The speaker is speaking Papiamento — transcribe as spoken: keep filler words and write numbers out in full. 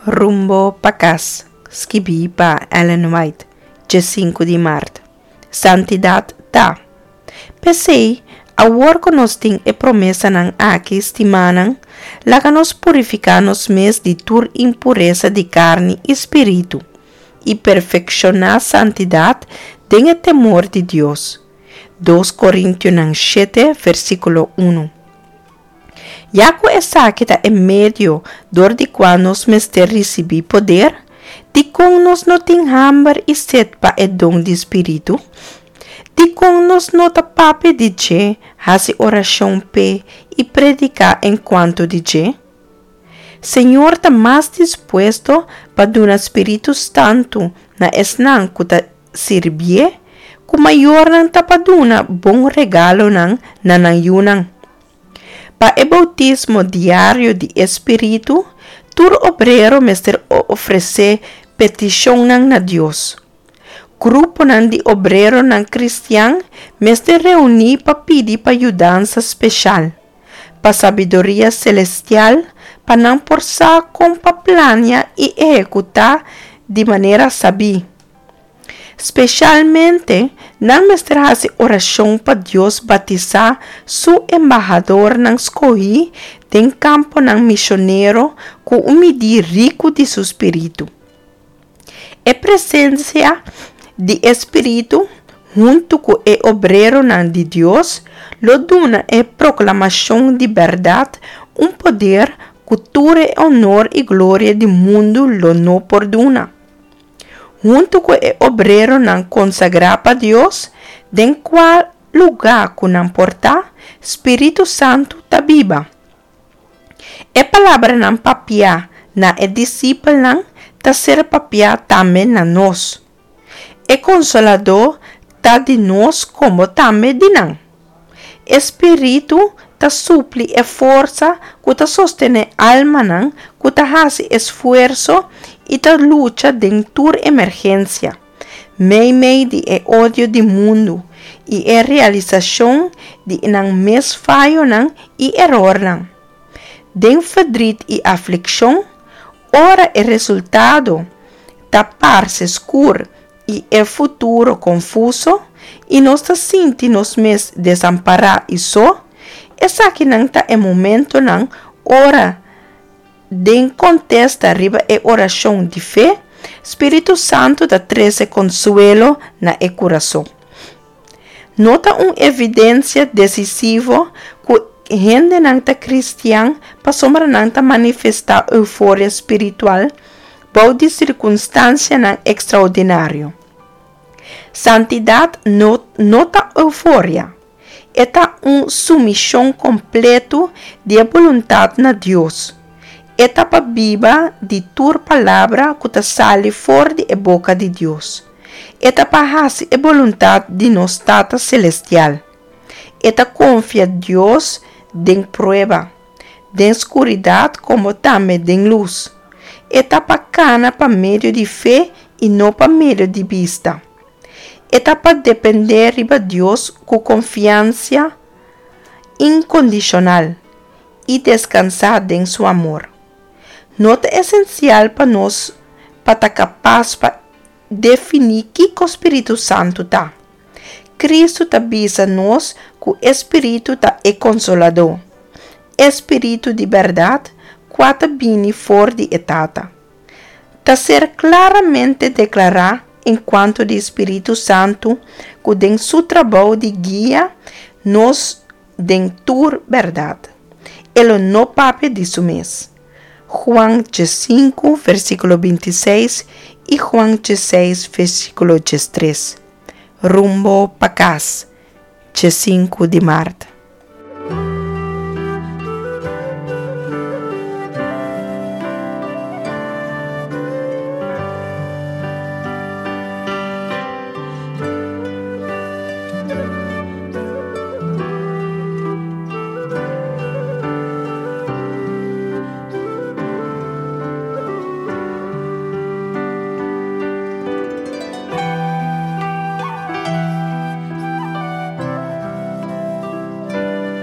Rumbo pa Kas, skibí pa Ellen White, diesinku di mart. Santidat ta. P'esei, awor ku nos tin e promesanan aki, stimánan, laga nos purifiká nos mes di tur impuresa di karni i spiritu, i perfekshoná santidat den e temor di Dios. dos Korintionan shete, versíkulo un. Ya ku esaki ta e medio dor di kua nos mester risibí poder, dikon nos no tin hamber i set pa e don di spiritu? Dikon nos no ta papia di dje, hasi orashon p'e i prediká enkuanto di dje? Señor ta mas dispuesto pa duna Spiritu Santu na esnan ku ta sirbié ku mayornan ta pa duna bon regalonan na nan yunan. Pa e boutismo diario di e Spiritu, tur obrero mester ofresé petishonnan na Dios. Gruponan di obreronan kristian mester reuní pa pidi pa yudansa speshal, pa sabiduria selestial pa nan por sa kon pa plania i ehekutá di manera sabí. Speshalmente, nan mester hasi orashon pa Dios batisá Su embahadornan skohí den kamponan mishonero ku un midí riku di Su Spiritu. E presensia di e Spiritu, huntu ku e obreronan di Dios, lo duna e proklamashon di bèrdat un poder ku tur e onor i gloria di mundu lo no por duna. Huntu ku e obreronan konsagrá pa Dios, den kua lugá ku nan por ta, Spiritu Santu ta biba. E palabranan papiá na e disipelnan ta ser papiá tambe na nos. E Konsoladó ta di nos komo tambe di nan. E Spiritu ta supli e forsa ku ta sostené almanan ku ta hasi esfuerso i ta lucha den tur emergensia, meimei di e odio di mundu i e realisashon di nan mes fayonan i erornan. Den ferdrit i aflikshon, ora e resultado ta parse skur i e futuro konfuso i nos ta sinti nos mes desampará i so, esakinan ta e momentonan ora, den kontesta riba e orashon di fe, Spiritu Santu ta trese konsuelo na e kurason. No ta un evidensia desisivo ku hendenan ta kristian pasobra nan ta manifestá euforia spiritual bou di sirkunstansianan ekstraordinario. Santidat no no ta euforia. E ta un sumishon kompletu di e boluntat na Dios. E ta pa biba di tur palabra ku ta sali for di e boka di Dios. E ta pa hasi e boluntat di nos Tata Selestial. E ta konfia Dios den prueba, den skuridat komo tambe den lus. E ta pa kana pa medio di fe i no pa medio di bista. E ta pa dependé riba Dios ku konfiansa inkondishonal i deskansá den Su amor. No ta esensial pa nos pa ta kapas pa definí kiko Spiritu Santu ta. Kristu ta bisa nos ku e Spiritu ta e Konsoladó, e Spiritu di bèrdat kua ta bini for di e Tata. Ta ser klaramente deklará enkuanto di Spiritu Santu ku den Su trabou di guia nos den tur bèrdat, E lo no papia di Su mes. Juan diesinku, versíkulo binti seis i Juan diesseis, versíkulo diestres. Rumbo pa kas, diesinku di mart.